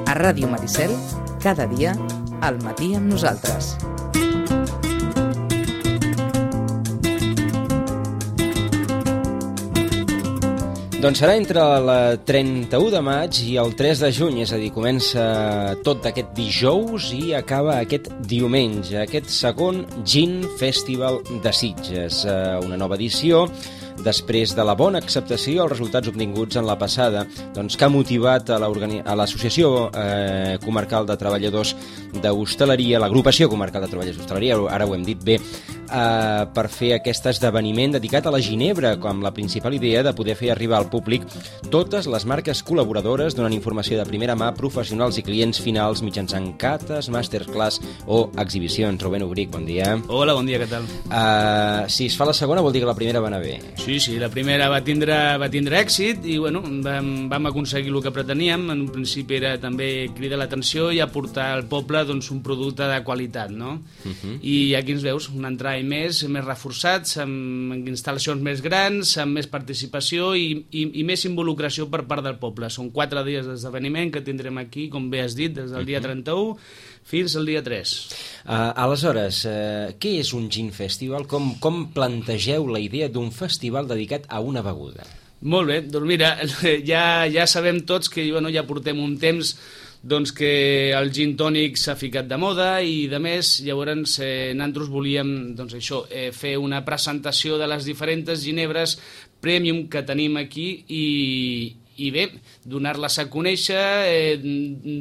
A Ràdio Maricel, cada dia, al matí amb nosaltres. Doncs serà entre el 31 de maig i el 3 de juny, és a dir, comença tot aquest dijous i acaba aquest diumenge, aquest segon Gin Festival de Sitges, una nova edició després de la bona acceptació als resultats obtinguts en la passada, doncs, que ha motivat a l'Associació Comarcal de Treballadors d'Hostaleria, l'Agrupació Comarcal de Treballadors d'Hostaleria, ara ho hem dit bé, per fer aquest esdeveniment dedicat a la ginebra, com la principal idea de poder fer arribar al públic totes les marques col·laboradores donant informació de primera mà, professionals i clients finals mitjançant cates, masterclass o exhibicions. Rubén Obric, bon dia. Hola, bon dia, què tal? Si es fa la segona vol dir que la primera va anar bé. Sí, la primera va tindre èxit i bueno, vam aconseguir el que preteníem. En un principi era també cridar l'atenció i aportar al poble doncs, un producte de qualitat, no? I aquí ens veus, un entrar més reforçats, amb instal·lacions més grans, amb més participació i més involucració per part del poble. Són 4 dies d'esdeveniment que tindrem aquí, com bé has dit, des del dia 31 fins al dia 3. Aleshores, què és un Gin Festival? Com plantegeu la idea d'un festival dedicat a una beguda? Molt bé, doncs mira, ja sabem tots que ja portem un temps doncs que el gin tònic s'ha ficat de moda i de més, llavors nosaltres volíem doncs això, fer una presentació de les diferents ginebres premium que tenim aquí i bé, donar-les a conèixer,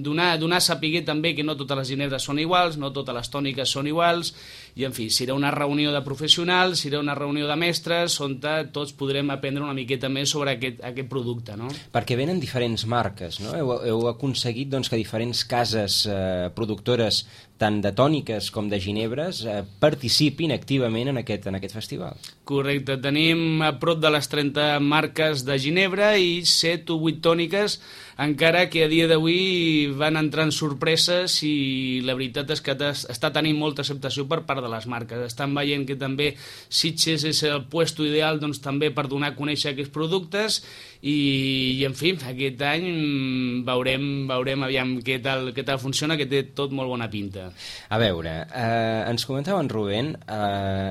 donar a saber també que no totes les ginebres són iguals, no totes les tòniques són iguals, i en fi, serà una reunió de professionals, serà una reunió de mestres on tots podrem aprendre una miqueta més sobre aquest producte, no? Perquè venen diferents marques, no? Heu aconseguit doncs, que diferents cases productores tant de tòniques com de ginebres participin activament en aquest festival. Correcte, tenim a prop de les 30 marques de ginebra i 7 o 8 tòniques, encara que a dia d'avui van entrant sorpreses i la veritat és que està tenint molta acceptació per part de les marques. Estan veient que també Sitges és el puesto ideal doncs, també per donar a conèixer aquests productes i en fi, aquest any veurem aviam què tal funciona, que té tot molt bona pinta. A veure, ens comentava en Rubén,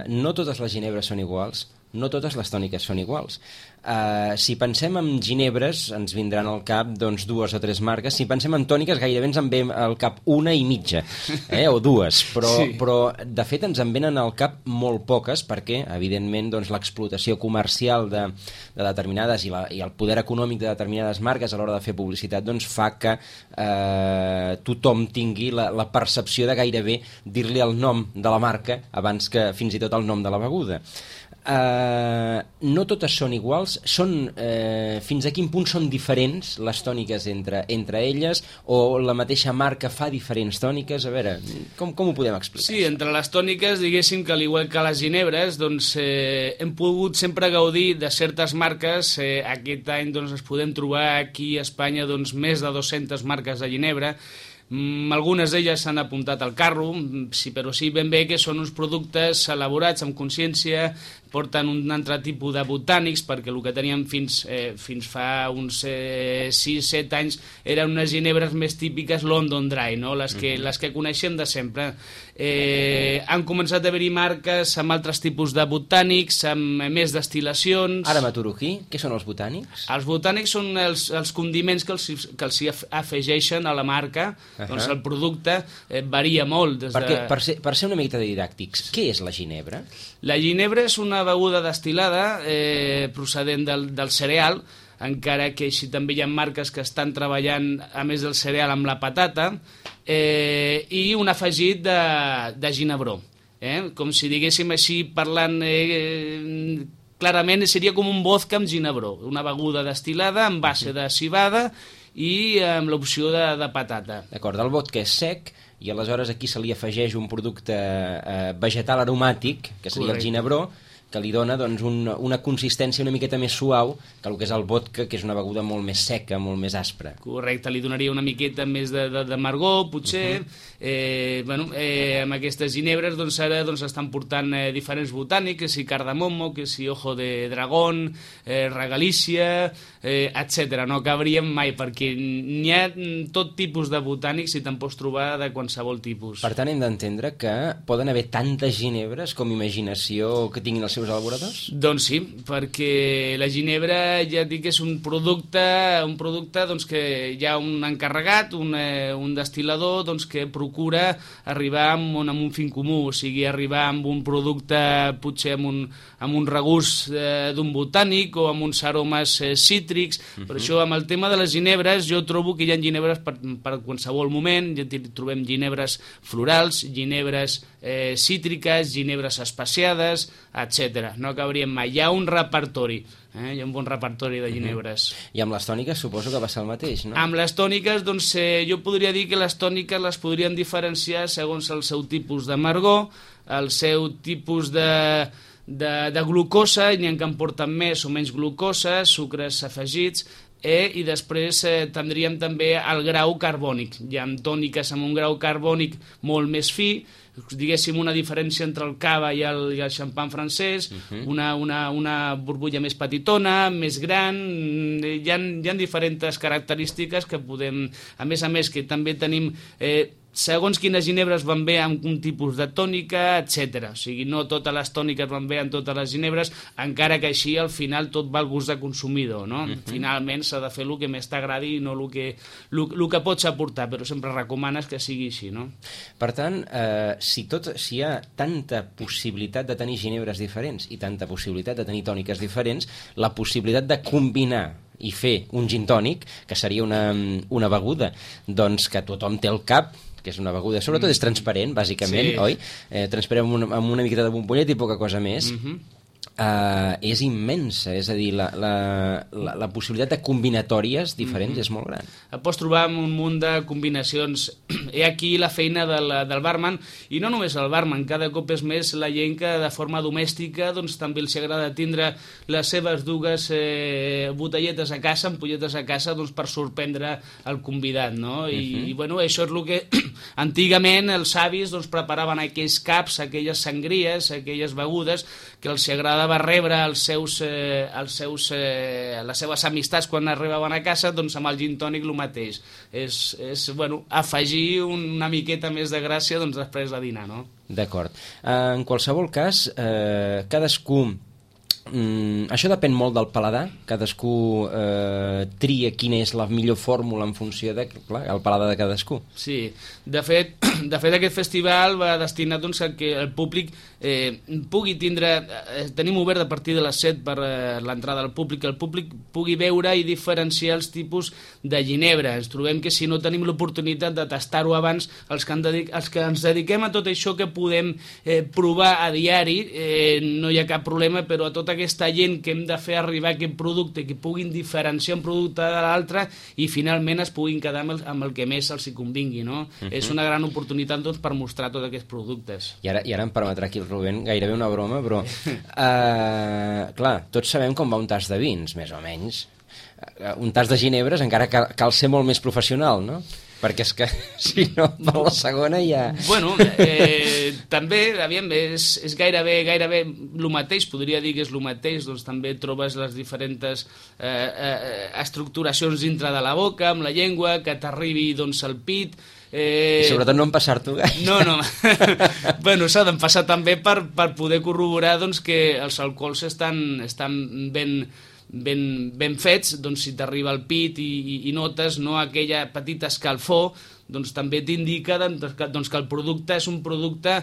no totes les ginebres són iguals, no totes les tòniques són iguals. Si pensem en ginebres, ens vindran al cap doncs, 2 o 3 marques. Si pensem en tòniques, gairebé ens en ve al cap 1 i mitja, o 2. Però, de fet, ens en venen al cap molt poques, perquè, evidentment, doncs, l'explotació comercial de determinades i el poder econòmic de determinades marques a l'hora de fer publicitat doncs, fa que tothom tingui la percepció de gairebé dir-li el nom de la marca abans que fins i tot el nom de la beguda. No totes són iguals, fins a quin punt són diferents les tòniques entre elles, o la mateixa marca fa diferents tòniques? A veure, com ho podem explicar? Sí, entre les tòniques, diguéssim que al igual que les ginebres, doncs, hem pogut sempre gaudir de certes marques. Aquest any doncs, es podem trobar aquí a Espanya doncs, més de 200 marques de ginebra. Algunes d'elles s'han apuntat al carro, però sí ben bé que són uns productes elaborats amb consciència, porten un altre tipus de botànics, perquè el que teníem fins fa uns 6-7 anys eren unes ginebres més típiques London Dry, no? les que coneixem de sempre. Han començat a haver-hi marques amb altres tipus de botànics, amb més destil·lacions. Ara m'aturo aquí. Què són els botànics? Els botànics són els condiments que els afegeixen a la marca. Doncs el producte varia molt. Per ser una miqueta didàctics, què és la ginebra? La ginebra és una beguda destil·lada procedent del cereal, encara que així també hi ha marques que estan treballant, a més del cereal, amb la patata, i un afegit de ginebró. Com si diguéssim així, parlant clarament, seria com un vodka amb ginebró, una beguda destil·lada amb base de civada i amb l'opció de patata. D'acord, el vodka és sec i aleshores aquí se li afegeix un producte vegetal aromàtic, que seria el ginebró, que li dona doncs, una consistència una miqueta més suau que el que és el vodka, que és una beguda molt més seca, molt més aspra. Correcte, li donaria una miqueta més de margó, potser. Amb aquestes ginebres doncs, ara estan portant diferents botànics, que si cardamomo, que si ojo de dragón, regalícia, etc. No acabaríem mai, perquè n'hi ha tot tipus de botànics i te'n pots trobar de qualsevol tipus. Per tant, hem d'entendre que poden haver tantes ginebres com imaginació que tinguin els seus elaboradors? Doncs sí, perquè la ginebra ja et dic que és un producte doncs, que hi ha un encarregat, un destil·lador doncs, que procura arribar amb un fin comú, o sigui, arribar amb un producte potser amb un regust d'un botànic o amb uns aromes cítrics. Per això, amb el tema de les ginebres, jo trobo que hi ha ginebres per qualsevol moment. Ja trobem ginebres florals, ginebres cítriques, ginebres especiades, etc. No acabaríem mai. Hi ha un repertori, hi ha un bon repertori de ginebres. I amb les tòniques suposo que va ser el mateix, no? Amb les tòniques, doncs, jo podria dir que les tòniques les podríem diferenciar segons el seu tipus de margó, el seu tipus de glucosa, n'hi ha que en porten més o menys glucosa, sucres afegits, i després tindríem també el grau carbònic. Hi ha tòniques amb un grau carbònic molt més fi, diguéssim una diferència entre el cava i el xampan francès, una burbulla més petitona, més gran, hi ha diferents característiques que podem, a més que també tenim segons quines ginebres van bé amb un tipus de tònica, etc. O sigui, no totes les tòniques van bé en totes les ginebres, encara que així al final tot va al gust de consumidor, no? Finalment s'ha de fer el que més t'agradi i no el que pots aportar, però sempre recomanes que sigui així, no? Per tant, si hi ha tanta possibilitat de tenir ginebres diferents i tanta possibilitat de tenir tòniques diferents, la possibilitat de combinar i fer un gin tònic, que seria una beguda doncs que tothom té al cap, que és una beguda, sobretot és transparent, bàsicament, sí. Oi? Transparent amb una miqueta de bombonlet i poca cosa més. És immensa, és a dir, la possibilitat de combinatòries diferents és molt gran. Et pots trobar amb un munt de combinacions. Hi ha aquí la feina del barman, i no només el barman, cada cop és més la gent que de forma domèstica doncs, també els agrada tindre les seves dues botelletes a casa, ampolletes a casa, doncs, per sorprendre el convidat, no? I bueno, això és el que antigament els avis doncs, preparaven aquells caps, aquelles sangries, aquelles begudes que els agrada va rebre les seves amistats quan arribaven a casa, doncs amb el gin tònic el mateix. És bueno, afegir una miqueta més de gràcia doncs, després de dinar, no? D'acord. En qualsevol cas, cadascú... això depèn molt del paladar, cadascú tria quina és la millor fòrmula en funció del paladar de cadascú. Sí, de fet aquest festival va destinat doncs, a que el públic pugui tindre, tenim obert a partir de les 7 per l'entrada al públic, que el públic pugui veure i diferenciar els tipus de ginebra. Ens trobem que si no tenim l'oportunitat de tastar-ho abans, els que ens dediquem a tot això que podem provar a diari, no hi ha cap problema, però a tota aquesta gent que hem de fer arribar aquest producte, que puguin diferenciar un producte de l'altre i finalment es puguin quedar amb el que més els hi convingui, no? És una gran oportunitat doncs, per mostrar tots aquests productes. I ara em permetrà aquí el Rubén gairebé una broma, però clar, tots sabem com va un tas de vins, més o menys. Un tas de ginebres encara cal ser molt més professional, no? Perquè és que, si no, per la segona ja... Bueno, també, aviam, és gairebé el mateix, podria dir que és el mateix, doncs també trobes les diferents estructuracions dintre de la boca, amb la llengua, que t'arribi doncs al pit... I sobretot no empassar-t'ho gaire. No. Bueno, s'ha d'empassar també per poder corroborar doncs, que els alcohols estan ben fets, doncs si t'arriba al pit i notes no aquella petita escalfor, doncs també t'indica doncs, que el producte és un producte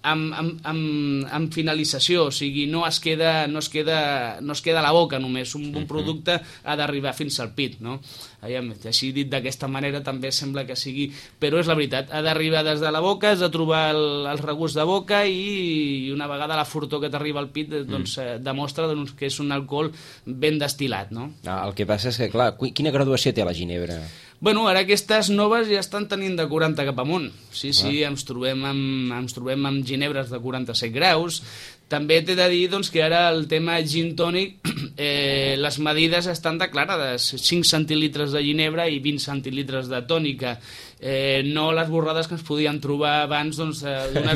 amb finalització, o sigui, no es queda a la boca només, un bon producte ha d'arribar fins al pit, no? Així dit d'aquesta manera també sembla que sigui, però és la veritat, ha d'arribar des de la boca, has de trobar el regust de boca i una vegada la furtor que t'arriba al pit doncs, demostra doncs, que és un alcohol ben destil·lat, no? El que passa és que, clar, quina graduació té la ginebra? Bueno, ara aquestes noves ja estan tenint de 40 cap amunt. Sí, ens trobem amb ginebres de 47 graus, També t'he de dir doncs, que ara el tema gin tònic, les medides estan declarades, 5 centilitres de ginebra i 20 centilitres de tònica. No les borrades que ens podíem trobar abans, doncs...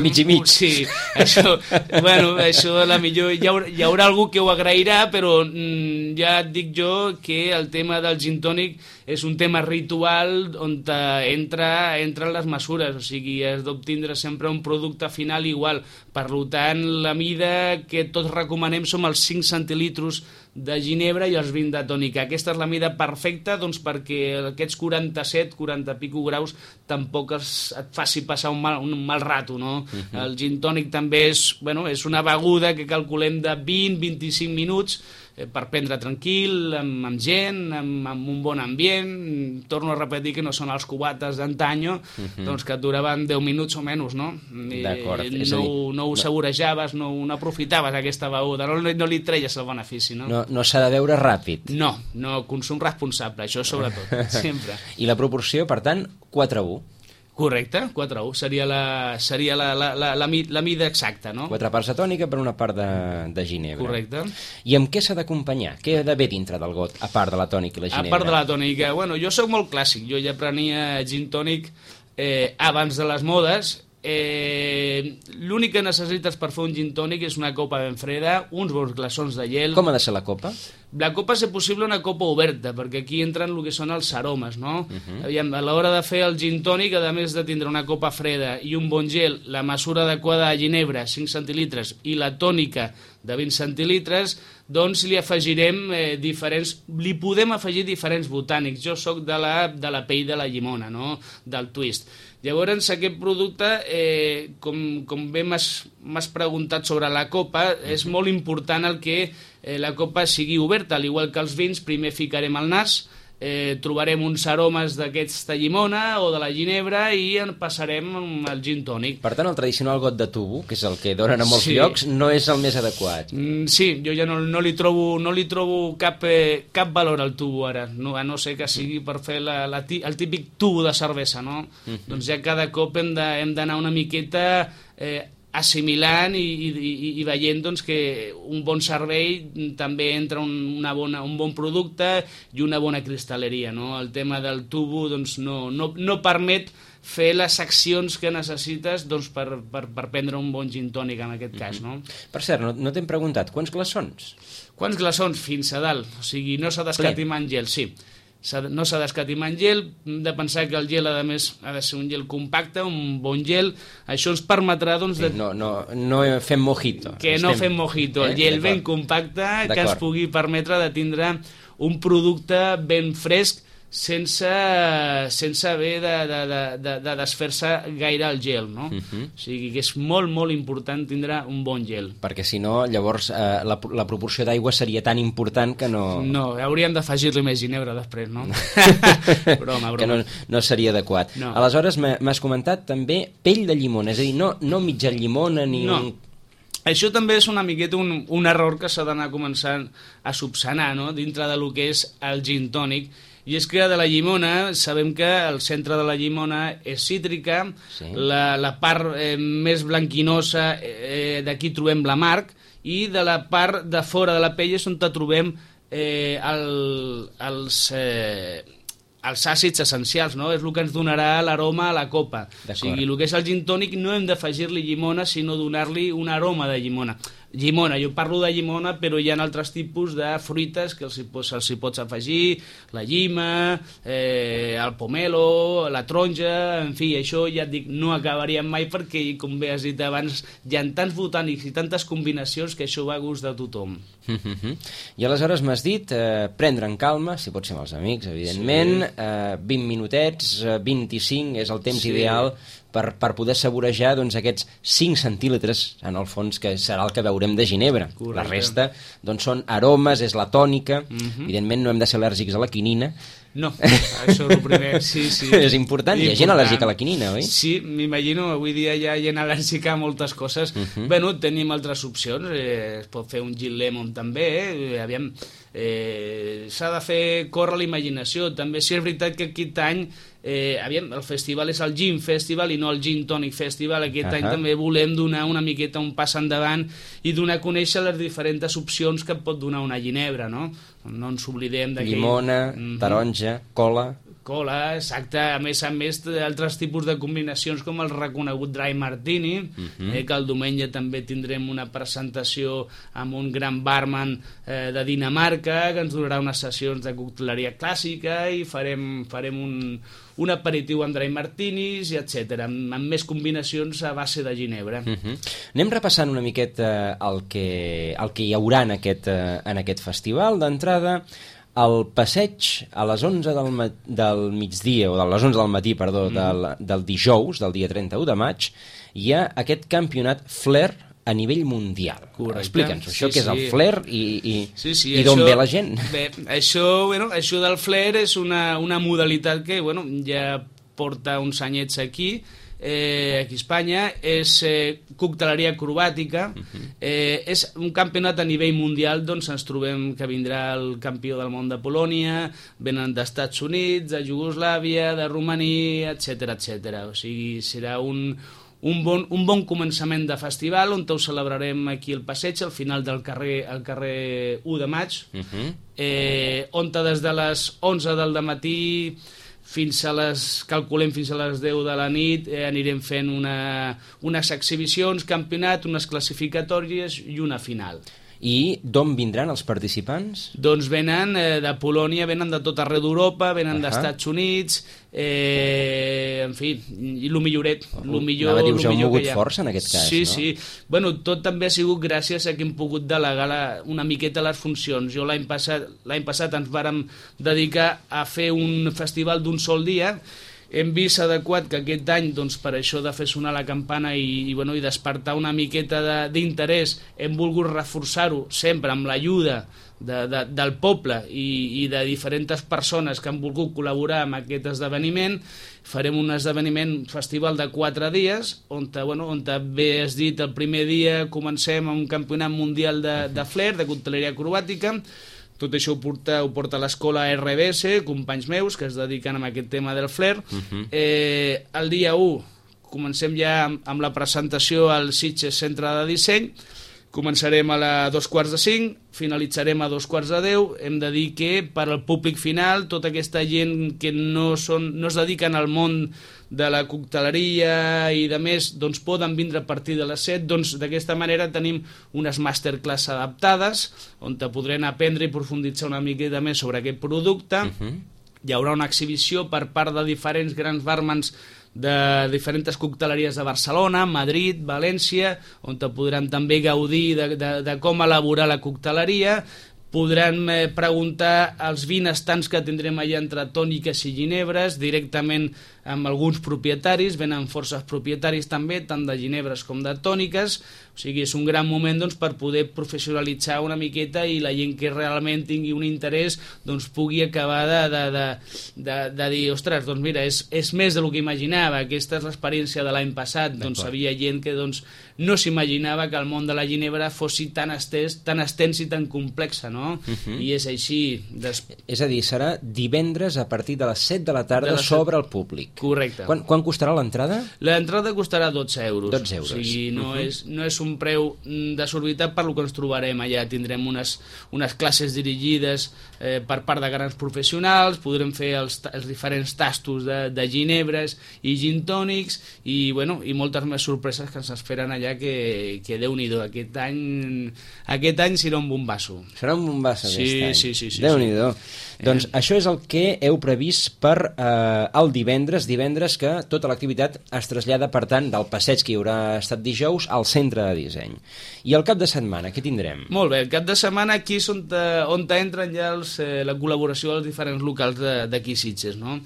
mig i mig. Sí, això, bueno, això a la millor hi haurà algú que ho agrairà, però ja et dic jo que el tema del gin tònic és un tema ritual on entren les mesures, o sigui, has d'obtindre sempre un producte final igual. Per tant, la mida que tots recomanem som els 5 centilitros de ginebra i els 20 de tònica. Aquesta és la mida perfecta doncs, perquè aquests 47, 40 i pico graus tampoc et faci passar un mal rato, no? El gin tònic també és una beguda que calculem de 20-25 minuts per prendre tranquil, amb gent, amb un bon ambient. Torno a repetir que no són els cubates d'antanyo, doncs que et duraven 10 minuts o menys, no? D'acord. No ho saborejaves, no aprofitaves aquesta beguda, no li treies el benefici, no? No s'ha de beure ràpid. No, consum responsable, això sobretot, sempre. I la proporció, per tant, 4:1. Correcte, 4:1, seria la mida exacta, no? 4 parts de tònica per una part de ginebra. Correcte. I amb què s'ha d'acompanyar? Què ha d'haver dintre del got, a part de la tònica i la ginebra? A part de la tònica, jo soc molt clàssic, jo ja prenia gin tònic abans de les modes. L'únic que necessites per fer un gin tònic és una copa ben freda, uns bons glaçons de gel. Com ha de ser la copa? La copa, si possible, una copa oberta, perquè aquí entren el que són els aromes, no? Aviam, a l'hora de fer el gin tònic, a més de tindre una copa freda i un bon gel, la mesura adequada de ginebra, 5 centilitres, i la tònica de 20 centilitres, doncs li afegirem li podem afegir diferents botànics. Jo sóc de la pell de la llimona, no? Del twist. Llavors, aquest producte, com bé m'has preguntat sobre la copa, és molt important el que la copa sigui oberta, al igual que els vins. Primer ficarem el nas, trobarem uns aromes d'aquesta llimona o de la ginebra i en passarem al gin tònic. Per tant, el tradicional got de tubo, que és el que donen a molts llocs, no és el més adequat. Sí, jo ja no li trobo cap valor al tubo ara, a no ser que sigui per fer el típic tubo de cervesa, no? Doncs ja cada cop hem d'anar una miqueta assimilant i veient doncs, que un bon servei també entra un bon producte i una bona cristal·leria, no? El tema del tubo doncs, no permet fer les accions que necessites doncs, per prendre un bon gin tònic en aquest cas, no? Per cert, no t'hem preguntat, quants glaçons? Quants glaçons? Fins a dalt, o sigui, no s'ha d'escatimar en gel, sí. No s'ha d'escatimar en gel, hem de pensar que el gel a més ha de ser un gel compacte, un bon gel. Això ens permetrà doncs, no fem mojito. Fem mojito, el gel ben compacte que ens pugui permetre de tindre un producte ben fresc sense haver de desfer-se gaire el gel, no? O sigui que és molt, molt important tindre un bon gel. Perquè si no, llavors la proporció d'aigua seria tan important que no... No, hauríem d'afegir-li més ginebra després, no? Broma. Que no seria adequat. No. Aleshores, m'has comentat també pell de llimona, és a dir, no mitja llimona ni... No. Això també és una miqueta un error que s'ha d'anar començant a subsanar, no? Dintre del que és el gin tònic. I és que de la llimona, sabem que el centre de la llimona és cítrica, sí. La part més blanquinosa, d'aquí trobem l'amarg, i de la part de fora de la pell és on trobem els àcids essencials, no? És el que ens donarà l'aroma a la copa. O sigui, el que és el gin tònic no hem d'afegir-li llimona, sinó donar-li un aroma de llimona. Jo parlo de llimona, però hi ha altres tipus de fruites que se'ls pots afegir, la llima, el pomelo, la taronja, en fi, això ja et dic, no acabaríem mai perquè, com bé has dit abans, hi ha tants botànics i tantes combinacions que això va a gust de tothom. I aleshores m'has dit prendre en calma, si pot ser amb els amics, evidentment, 20 minutets, 25 és el temps ideal per poder saborejar aquests 5 centílitres, en el fons, que serà el que veurem de ginebra. Correcte. La resta són aromes, és la tònica. Evidentment no hem de ser al·lèrgics a la quinina. No, això és el primer, sí. És important, hi ha gent al·lèrgica a la quinina, oi? Sí, m'imagino, avui dia hi ha gent al·lèrgica a moltes coses. Bueno, tenim altres opcions, es pot fer un gin lemon també, aviam, s'ha de fer córrer la imaginació. També sí és veritat que aquest any el festival és el Gin Festival i no el Gin Tonic Festival. Aquest any també volem donar una miqueta un pas endavant i donar a conèixer les diferents opcions que pot donar una ginebra, no? No ens oblidem d'aquell... Llimona, taronja, cola... Cola, exacte, a més d'altres tipus de combinacions com el reconegut Dry Martini, que el diumenge també tindrem una presentació amb un gran barman de Dinamarca que ens donarà unes sessions de cocteleria clàssica i farem un aperitiu amb Dry Martinis, i etc, amb més combinacions a base de ginebra. Anem repassant una miqueta el que hi haurà en aquest festival. D'entrada, al passeig a les 11 del migdia, o a les 11 del matí, perdó, del dijous, del dia 31 de maig, hi ha aquest campionat Flair a nivell mundial. Correcte. Explica'ns això, què és el Flair i d'on ve la gent. Bé, això del Flair és una modalitat que ja porta uns anyets aquí a Espanya, és cocteleria acrobàtica, és un campionat a nivell mundial. Doncs ens trobem que vindrà el campió del món de Polònia, venen d'Estats Units, de Iugoslàvia, de Romania, etc. O sigui, serà un bon començament de festival on ho celebrarem aquí al passeig, al final del carrer 1 de maig, on des de les 11 del matí calculem fins a les 10 de la nit, anirem fent unes exhibicions, campionat, unes classificatòries i una final. I d'on vindran els participants? Doncs venen de Polònia, venen de tot arreu d'Europa, venen d'Estats Units, en fi, i el milloret. Anava a dir, us heu mogut força en aquest cas, sí, no? Sí, bueno, tot també ha sigut gràcies a que hem pogut delegar una miqueta les funcions. Jo l'any passat ens vàrem dedicar a fer un festival d'un sol dia. Hem vist adequat que aquest any, doncs, per això de fer sonar la campana i despertar una miqueta d'interès, hem volgut reforçar-ho sempre amb l'ajuda del poble i de diferents persones que han volgut col·laborar amb aquest esdeveniment. Farem un festival de 4 dies, on bé has dit, el primer dia comencem amb un campionat mundial de flair, de cocteleria acrobàtica. Tot això ho porta l'escola RBS, companys meus que es dediquen a aquest tema del flair. El dia 1 comencem ja amb la presentació al Sitges Centre de Disseny. Començarem a les 2:45, finalitzarem a 2:10. Hem de dir que per al públic final, tota aquesta gent que no es dediquen al món de la cocteleria i de més, doncs poden vindre a partir de les 7. Doncs d'aquesta manera tenim unes masterclass adaptades on te podrem aprendre i profunditzar una miqueta més sobre aquest producte. Hi haurà una exhibició per part de diferents grans barmans de diferents cocteleries de Barcelona, Madrid, València, on te podran també gaudir de com elaborar la cocteleria. Podran preguntar als 20 estants que tindrem allà entre tòniques i ginebres, directament amb alguns propietaris. Venen forces propietaris també, tant de ginebres com de tòniques. O sigui, és un gran moment per poder professionalitzar una miqueta i la gent que realment tingui un interès pugui acabar de dir, ostres, doncs mira, és més del que imaginava. Aquesta és l'experiència de l'any passat. Doncs havia gent que no s'imaginava que el món de la ginebra fos tan extens i tan complex, no? I és així. És a dir, serà divendres a partir de les 7 de la tarda sobre el públic. Correcte. Quan costarà l'entrada? L'entrada costarà 12 euros. 12 euros. O sigui, no és un preu desorbitat per lo que ens trobarem allà. Tindrem unes classes dirigides per part de grans professionals, podrem fer els diferents tastos de ginebres i gin tònics i moltes més sorpreses que ens esperen allà que Déu-n'hi-do. Aquest any serà un bombasso. Serà un bombasso aquest any. Sí. Déu-n'hi-do. Doncs això és el que heu previst per el divendres que tota l'activitat es trasllada, per tant, del passeig que hi haurà estat dijous al centre de disseny. I el cap de setmana, què tindrem? Molt bé, el cap de setmana aquí és on entren ja la col·laboració dels diferents locals d'aquí Sitges, no?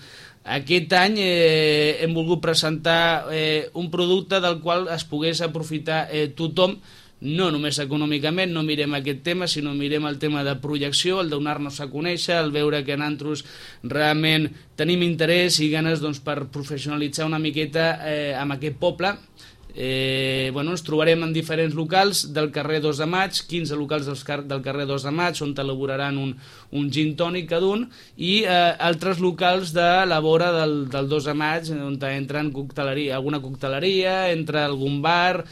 Aquest any hem volgut presentar un producte del qual es pogués aprofitar tothom, no només econòmicament, no mirem aquest tema, sinó mirem el tema de projecció, el donar-nos a conèixer, el veure que nosaltres realment tenim interès i ganes per professionalitzar una miqueta amb aquest poble. Ens trobarem en diferents locals del carrer 2 de Maig, 15 locals del carrer 2 de Maig, on elaboraran un gin tònic cada un, i altres locals de la vora del 2 de Maig, on entra alguna cocteleria, entra algun bar,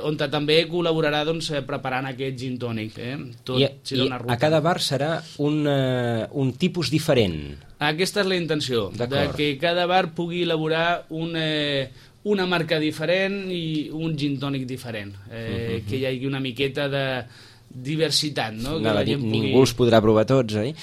on també col·laborarà preparant aquest gin tònic. I a cada bar serà un tipus diferent. Aquesta és la intenció, de que cada bar pugui elaborar una marca diferent i un gin tònic diferent, que hi hagi una miqueta de diversitat, no? Ningú els podrà provar tots, oi?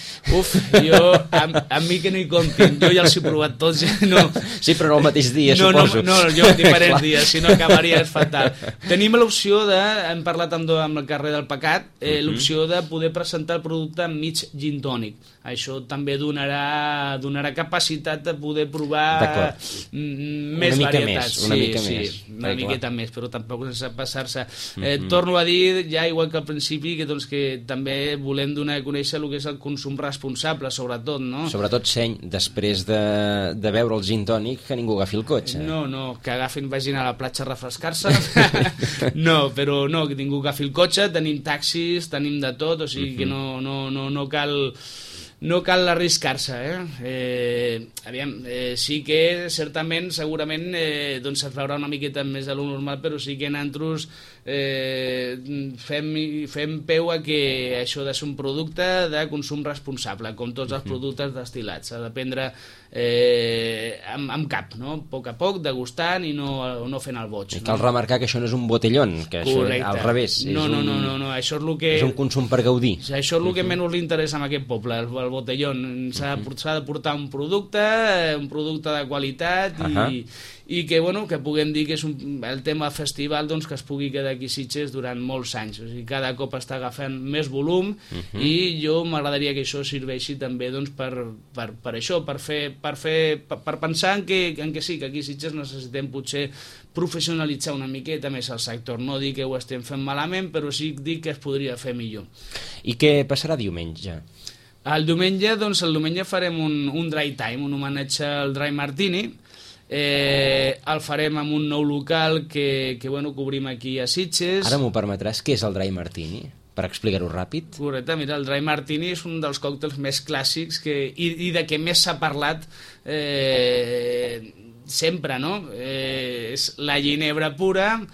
A mi que no hi comptin, jo ja els he provat tots. Sí, però no el mateix dia, suposo. No, jo en diferents dies, si no acabaria fatal. Tenim l'opció hem parlat amb el carrer del Pecat, l'opció de poder presentar el producte mig gin tònic. Això també donarà capacitat de poder provar més varietats. Una miqueta més, però tampoc sense passar-se. Torno a dir, ja igual que al principi, que també volem donar a conèixer el que és el consum responsable, sobretot, no? Sobretot, seny, després de beure el gin tònic, que ningú agafi el cotxe. No, que vagin a la platja a refrescar-se. No, però no, que ningú agafi el cotxe, tenim taxis, tenim de tot, o sigui que no cal arriscar-se, sí que certament, segurament es veurà una miqueta més de lo normal, però sí que nosaltres fem peu a que això de ser un producte de consum responsable, com tots els productes destil·lats. S'ha de prendre amb cap, no? A poc, degustant i no fent el boig. Cal remarcar que això no és un botellón, que això al revés. No, això és el que... És un consum per gaudir. Això és el que menys li interessa a aquest poble, el botellón. S'ha de portar un producte de qualitat i que puguem dir que és el tema festival que es pugui quedar aquí a Sitges durant molts anys. O sigui, cada cop està agafant més volum i jo m'agradaria que això serveixi també per això, per pensar en que sí, que aquí a Sitges necessitem potser professionalitzar una miqueta més el sector. No dir que ho estem fent malament, però sí dir que es podria fer millor. I què passarà diumenge? El diumenge farem un dry time, un homenatge al Dry Martini. El farem amb un nou local que obrim aquí a Sitges. Ara m'ho permetràs, què és el Dry Martini? Per explicar-ho ràpid. Correcte, mira, el Dry Martini és un dels còctels més clàssics i de què més s'ha parlat sempre, no? És la ginebra pura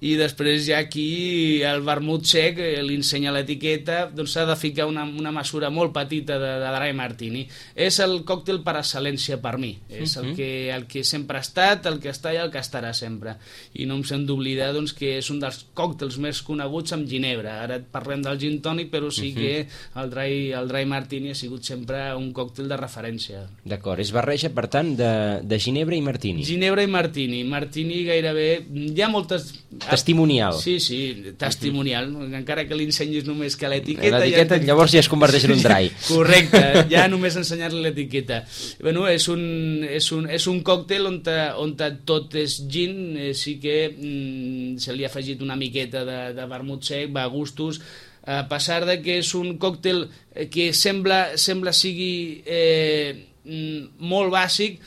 i després ja aquí el vermut sec li ensenya l'etiqueta, s'ha de ficar una mesura molt petita de Dry Martini. És el còctel per excel·lència per mi, és el que sempre ha estat, el que està i el que estarà sempre, i no em sent d'oblidar que és un dels còctels més coneguts amb ginebra. Ara parlem del gin tònic, però sí que el Dry Martini ha sigut sempre un còctel de referència. D'acord, és barreja per tant de ginebra i martini. Ginebra i martini gairebé, hi ha moltes... Testimonial. Sí, testimonial. Encara que li ensenyis només que l'etiqueta... L'etiqueta llavors ja es converteix en un dry. Correcte, ja només ensenyar-li l'etiqueta. És un còctel on tot és gin, sí que se li ha afegit una miqueta de vermut sec, va a gustos, a pesar de que és un còctel que sembla sigui... molt bàsic,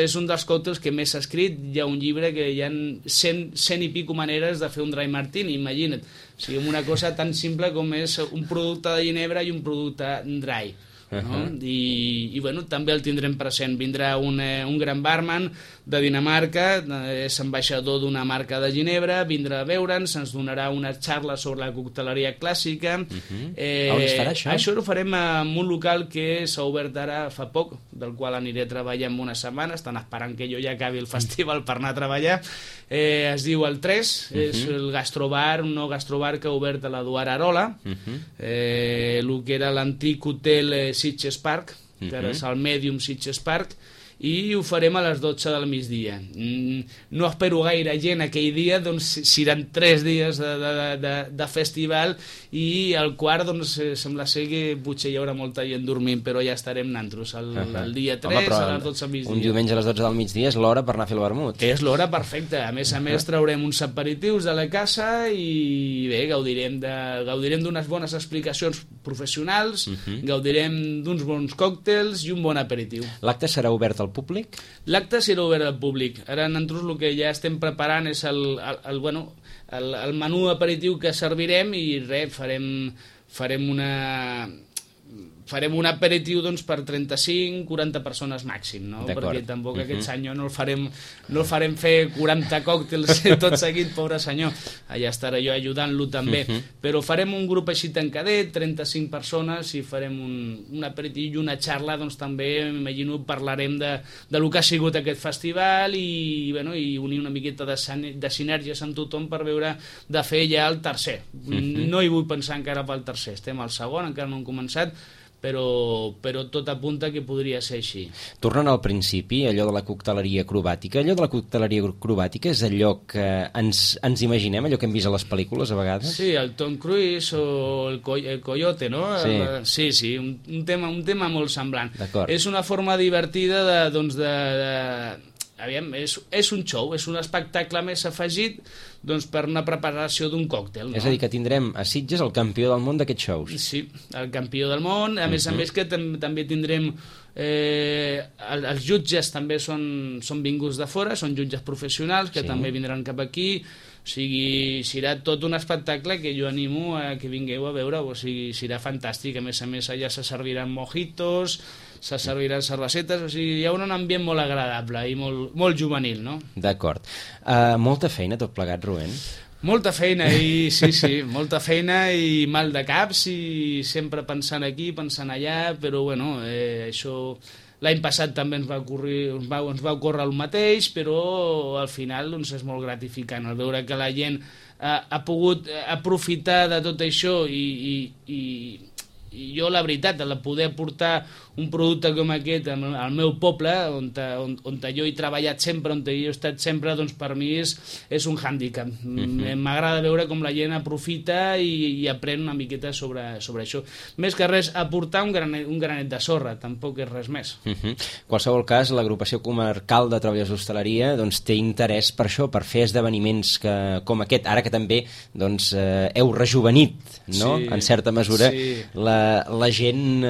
és un dels còctels que més s'ha escrit. Hi ha un llibre que hi ha 100 i pico maneres de fer un Dry Martini, imagina't. O sigui, una cosa tan simple com és un producte de ginebra i un producte dry. No? I també el tindrem present. Vindrà un gran barman de Dinamarca, és ambaixador d'una marca de ginebra, vindrà a veure'ns, ens donarà una xarra sobre la cocteleria clàssica. On es farà això? Això ho farem en un local que s'ha obert ara fa poc, del qual aniré a treballar en una setmana. Estan esperant que jo ja acabi el festival per anar a treballar. Es diu el 3, és el gastrobar, un nou gastrobar que ha obert a l'Eduard Arola, el que era l'antic hotel Sitges Park, que ara és el Medium Sitges Park, i ho farem a les 12 del migdia. No espero gaire gent aquell dia, seran 3 dies de festival, i al quart sembla ser que potser hi haurà molta gent dormint, però ja estarem nosaltres el dia 3 a les 12 del migdia. Un diumenge a les 12 del migdia és l'hora per anar a fer el vermut. És l'hora perfecta. A més traurem uns aperitius de la casa i bé, gaudirem d'unes bones explicacions professionals, gaudirem d'uns bons còctels còctels i un bon aperitiu. L'acte serà obert al públic? L'acte serà obert al públic. Ara nosaltres el que ja estem preparant és el menú aperitiu que servirem i res, farem un aperitiu doncs, per 35-40 persones màxim, no? Perquè tampoc aquest senyor no el farem fer 40 còctels tot seguit, pobre senyor. Allà estaré jo ajudant-lo també. Però farem un grup així tancadet, 35 persones, i farem un aperitiu i una xarra, doncs també, m'imagino, parlarem de lo que ha sigut aquest festival i unir una miqueta de sinergies amb tothom per veure de fer ja el tercer. No hi vull pensar encara pel tercer, estem al segon, encara no hem començat, però tot apunta que podria ser així. Tornant al principi, allò de la cocteleria acrobàtica, és allò que ens imaginem, allò que hem vist a les pel·lícules a vegades? Sí, el Tom Cruise o el Coyote, no? Sí, un tema molt semblant. És una forma divertida aviam, és un show, és un espectacle més afegit doncs, per una preparació d'un còctel. No? És a dir, que tindrem a Sitges el campió del món d'aquests shows. Sí, el campió del món, a més que també tindrem els jutges també són vinguts de fora, són jutges professionals que també vindran cap aquí, o sigui, serà tot un espectacle que jo animo a que vingueu a veure, o sigui, serà fantàstic, a més allà se serviran mojitos, se serviran cervesetes, o sigui, hi ha un ambient molt agradable i molt juvenil, no? D'acord. Molta feina tot plegat, Rubén? Molta feina, sí, molta feina i mal de caps i sempre pensant aquí, pensant allà, però bueno, això l'any passat també ens va ocórrer el mateix, però al final doncs, és molt gratificant el veure que la gent ha pogut aprofitar de tot això i jo, la veritat, el poder portar un producte com aquest al meu poble, on jo he treballat sempre, on jo he estat sempre, doncs per mi és un hàndicap. M'agrada veure com la gent aprofita i aprèn una miqueta sobre això. Més que res, aportar un granet de sorra, tampoc és res més. En qualsevol cas, l'agrupació comarcal de treballadors d'hostaleria doncs, té interès per això, per fer esdeveniments com aquest, ara que també doncs, heu rejuvenit, no? En certa mesura, la gent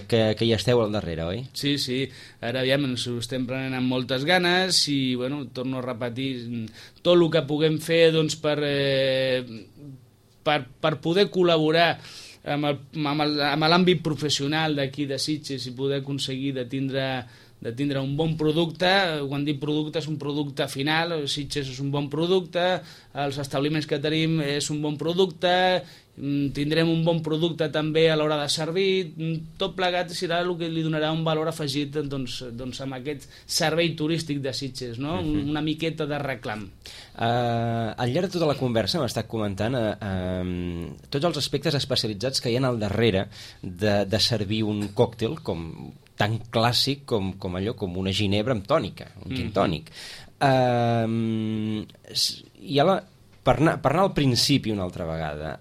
que hi esteu al darrere, oi? Sí, ara aviam, ens ho estem prenent amb moltes ganes i, bueno, torno a repetir, tot el que puguem fer doncs, per poder col·laborar amb l'àmbit professional d'aquí de Sitges i poder aconseguir de tindre un bon producte. Quan dic producte és un producte final, Sitges és un bon producte, els establiments que tenim és un bon producte, tindrem un bon producte també a l'hora de servir, tot plegat serà el que li donarà un valor afegit doncs, amb aquest servei turístic de Sitges, no? Una miqueta de reclam. Al llarg de tota la conversa m'ha estat comentant tots els aspectes especialitzats que hi ha al darrere de servir un còctel tan clàssic com allò, com una ginebra amb tònica, un gin tònic. I ara, per anar al principi una altra vegada,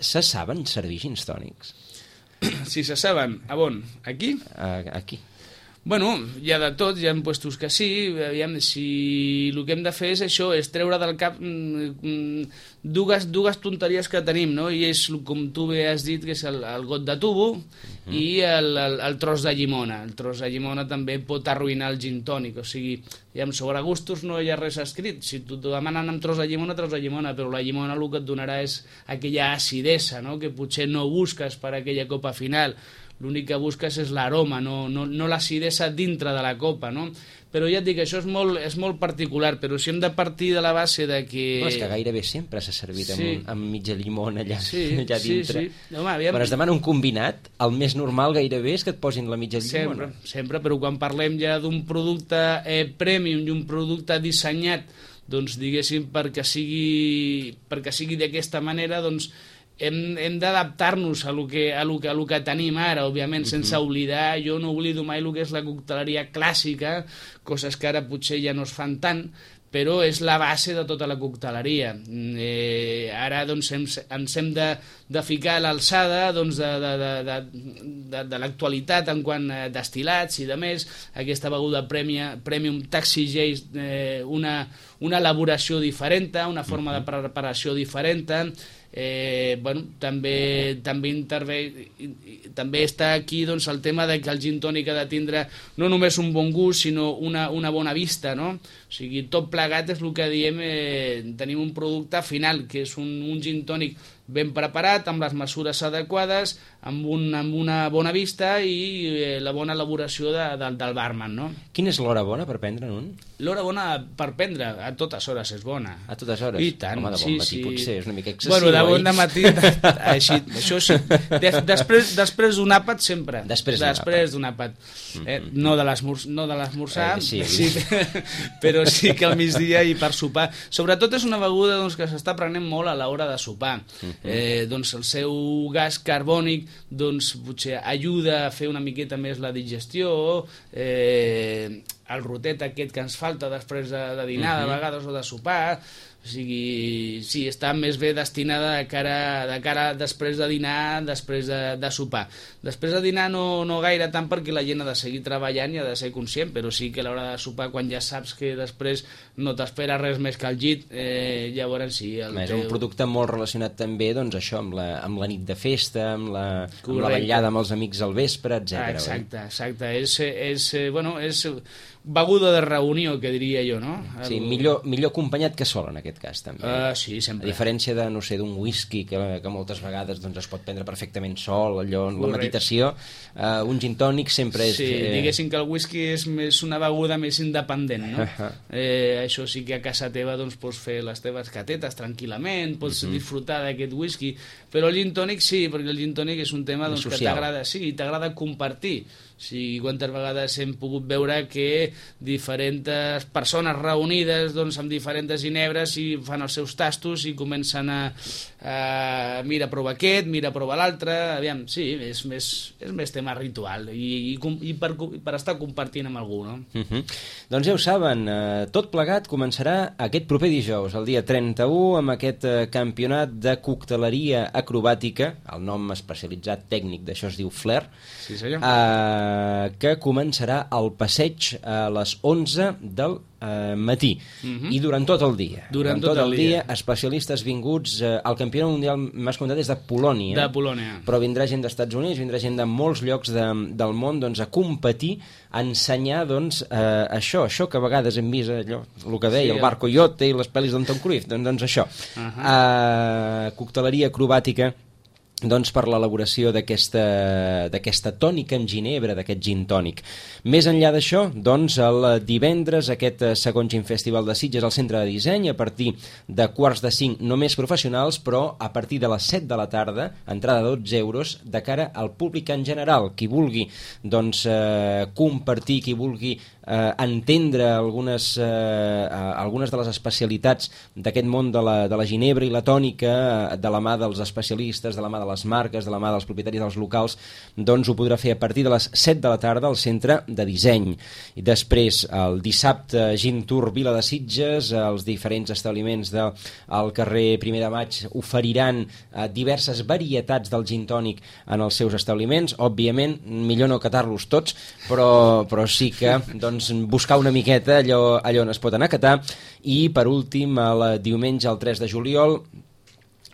se saben servir gins tònics? Si se saben, a on? Aquí? Aquí. Bueno, hi ha de tot, hi ha puestos que sí, aviam, si el que hem de fer és això, és treure del cap dues tonteries que tenim, no? I és, com tu bé has dit, que és el got de tubo i el tros de llimona. El tros de llimona també pot arruïnar el gin tònic, o sigui, sobre gustos no hi ha res escrit. Si tu demanen amb tros de llimona, però la llimona el que et donarà és aquella acidesa, no? Que potser no busques per aquella copa final. L'únic que busques és l'aroma, no l'acidesa dintre de la copa, no? Però ja et dic, això és molt particular, però si hem de partir de la base de que... És que gairebé sempre s'ha servit amb mitja llimona allà dintre. Sí. Home, aviam... Quan es demana un combinat, el més normal gairebé és que et posin la mitja llimona. Sempre, però quan parlem ja d'un producte premium i un producte dissenyat, doncs diguéssim, perquè sigui d'aquesta manera, doncs hem d'adaptar-nos a lo que tenim ara, òbviament, sense oblidar. Jo no oblido mai el que és la cocteleria clàssica, coses que ara potser ja no es fan tant, però és la base de tota la cocteleria. Ara doncs, ens hem de ficar a l'alçada doncs, de l'actualitat en quant a destil·lats i de més. Aquesta beguda premium t'exigeix una elaboració diferent, una forma de preparació diferent. Bueno, també està aquí doncs, el tema de que el gin tònic ha de tindre no només un bon gust, sinó una bona vista, no? O sigui, tot plegat és el que diem, tenim un producte final, que és un gin tònic ben preparat, amb les mesures adequades, amb una bona vista i la bona elaboració del barman, no? Quina és l'hora bona per prendre'n un? L'hora bona per prendre, a totes hores és bona. A totes hores? I tant, home, de bon matí potser és una mica excessiu. Bueno, de bon matí, així, això sí. Després d'un àpat sempre. Després d'un àpat. No de l'esmorzar, sí, però sí que al migdia i per sopar. Sobretot és una beguda doncs, que s'està prenent molt a l'hora de sopar. Doncs el seu gas carbònic doncs, potser ajuda a fer una miqueta més la digestió, el rotet aquest que ens falta després de dinar, de vegades, o de sopar. O sigui, sí, està més bé destinada de cara després de dinar, després de sopar. Després de dinar no gaire tant, perquè la gent ha de seguir treballant i ha de ser conscient, però sí que a l'hora de sopar, quan ja saps que després no t'espera res més que el llit, llavors sí. És un producte molt relacionat també, doncs, això, amb la nit de festa, amb la vetllada amb els amics al vespre, etc. Exacte. És beguda de reunió, que diria jo, no? Sí, millor acompanyat que sol, en aquest cas, també. Sí, sempre. A diferència de, no sé, d'un whisky que moltes vegades doncs, es pot prendre perfectament sol, allò, en la meditació, un gin tònic sempre és... Sí, diguéssim que el whisky és més una beguda més independent, no? Això sí que a casa teva doncs, pots fer les teves catetes tranquil·lament, pots disfrutar d'aquest whisky, però el gin tònic sí, perquè el gin tònic és un tema doncs, que t'agrada compartir. Sí, quantes vegades hem pogut veure que diferents persones reunides doncs, amb diferents ginebres i fan els seus tastos i comencen a mira, prova aquest, mira, prova l'altre. Aviam, sí, és més tema ritual i per estar compartint amb algú, no? Doncs ja ho saben, tot plegat començarà aquest proper dijous, el dia 31, amb aquest campionat de cocteleria acrobàtica, el nom especialitzat tècnic d'això es diu Flair, sí, senyor. Que començarà al passeig a les 11 del matí i durant tot el dia. Durant tot el dia, especialistes vinguts. El campionat mundial, m'has comentat, és de Polònia. De Polònia. Però vindrà gent dels Estats Units, vindrà gent de molts llocs del món doncs, a competir, a ensenyar doncs, això que a vegades hem vist, allò, el que deia, el Bar Coyote i les pel·lis d'en Tom Cruise, doncs això. Cocteleria acrobàtica, doncs per l'elaboració d'aquesta tònica amb ginebra, d'aquest gin tònic. Més enllà d'això, doncs el divendres aquest segon Gin Festival de Sitges al Centre de Disseny, a partir de 4:45 només professionals, però a partir de les 7 de la tarda, entrada de 12 euros, de cara al públic en general. Qui vulgui doncs, compartir, qui vulgui entendre algunes de les especialitats d'aquest món de la ginebra i la tònica, de la mà dels especialistes, de la mà de les marques, de la mà dels propietaris dels locals, doncs ho podrà fer a partir de les 7 de la tarda al Centre de Disseny. I després, el dissabte, Gin Tour Vila de Sitges, els diferents establiments del carrer 1 de Maig oferiran diverses varietats del gin tònic en els seus establiments. Òbviament, millor no catar-los tots, però sí que doncs, buscar una miqueta allò on es pot anar a catar. I per últim, el diumenge, el 3 de juliol,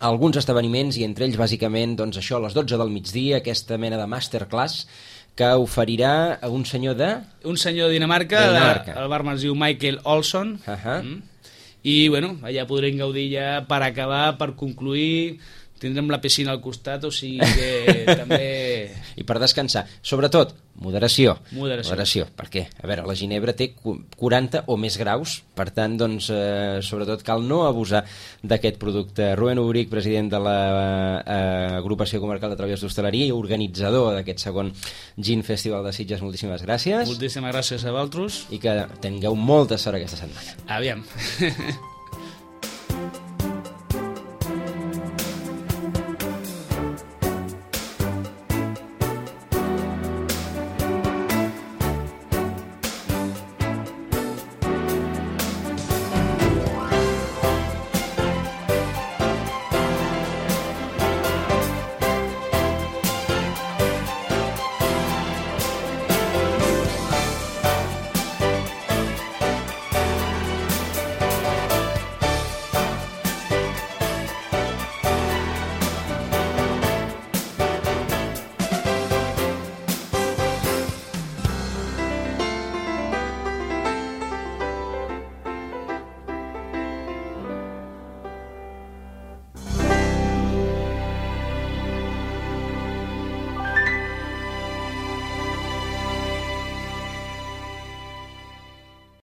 alguns esdeveniments, i entre ells bàsicament doncs això, a les 12 del migdia, aquesta mena de masterclass que oferirà un senyor de Dinamarca. El barman es diu Michael Olsson. I bueno, allà podrem gaudir ja per acabar, per concluir. Tindrem la piscina al costat, o sigui que també... I per descansar. Sobretot, moderació. Moderació. Perquè, a veure, la ginebra té 40 o més graus, per tant, doncs, sobretot cal no abusar d'aquest producte. Rubén Ubric, president de l'Agrupació Comarcal de Treballadors d'Hostaleria i organitzador d'aquest segon Gin Festival de Sitges, moltíssimes gràcies. Moltíssimes gràcies a vosaltres. I que tingueu molta sort aquesta setmana. Aviam.